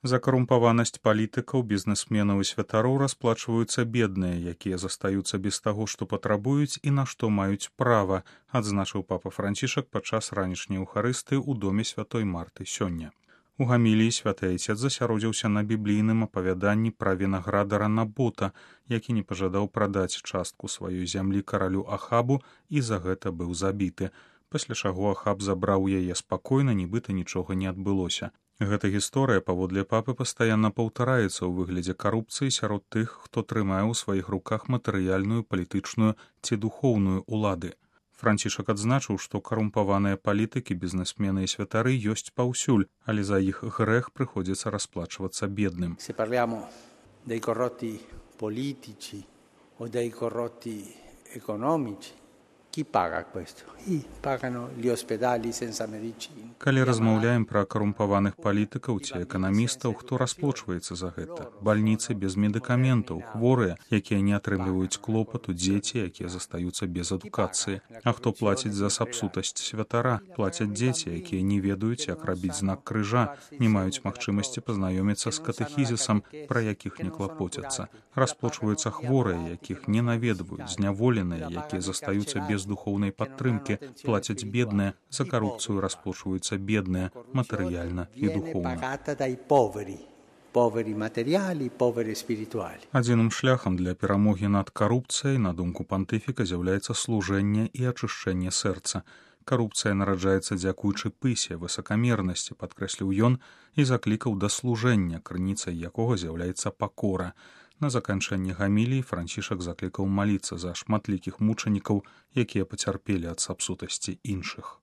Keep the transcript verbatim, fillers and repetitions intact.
За карумпаванасць палітыкаў, бізнесменаў і святароў расплачваюцца бедныя, якія застаюцца без таго, што патрабуюць і на што маюць права, адзначыў папа Францішак падчас ранішняй эўхарыстыі ў доме святой Марты сёння. У гаміліі святы айцец засяродзіўся на біблійным апавяданні пра вінаградара Набота, які не пажадаў прадаць частку сваёй зямлі каралю Ахабу і за гэта быў забіты. Пасля чаго Ахаб забраў яе спакойна, нібыта нічога не адбылося. Гэта гісторыя, паводле папы, пастаянна паўтараецца ў выглядзе карупцыі сярод тых, хто трымае ў сваіх руках матэрыяльную, палітычную ці духоўную улады. Францішак адзначыў, што карумпаваныя палітыкі, бізнесмены і святары ёсць паўсюль, але за іх грэх прыходзіцца расплачвацца бедным. Se parliamo dei corrotti politici o dei corrotti economici, chi paga questo? I pagano gli ospedali senza medicine. Калі размаўляем пра карумпаваных палітыкаў ці эканамістаў, хто расплачваецца за гэта? Бальніцы без медыкаментаў, хворыя, якія не атрымліваюць клопату, дзеці, якія застаюцца без адукацыі. А хто плаціць за сапсутасць святара? Плацяць дзеці, якія не ведаюць, як рабіць знак крыжа, не маюць магчымасці пазнаёміцца з катэхізісам, пра якіх не клапоцяцца. Расплачваюцца хворыя, якіх не наведваюць, зняволеныя, якія застаюцца без духоўнай падтрымкі, плацяць бедныя, за карупцыю расплачваюцца бедныя, матэрыяльна і духоўна. Адзіным шляхам для перамогі над карупцыяй, на думку пантыфіка, з'яўляецца служэнне і ачышчэнне сэрца. Карупцыя нараджаецца дзякуючы пысе, высакамернасці, падкрэсліў ён, і заклікаў да служэння, крыніцай якога з'яўляецца пакора. На заканчэнне гаміліі Францішак заклікаў маліцца за шматлікіх мучанікаў, якія пацярпелі ад сапсутасці іншых.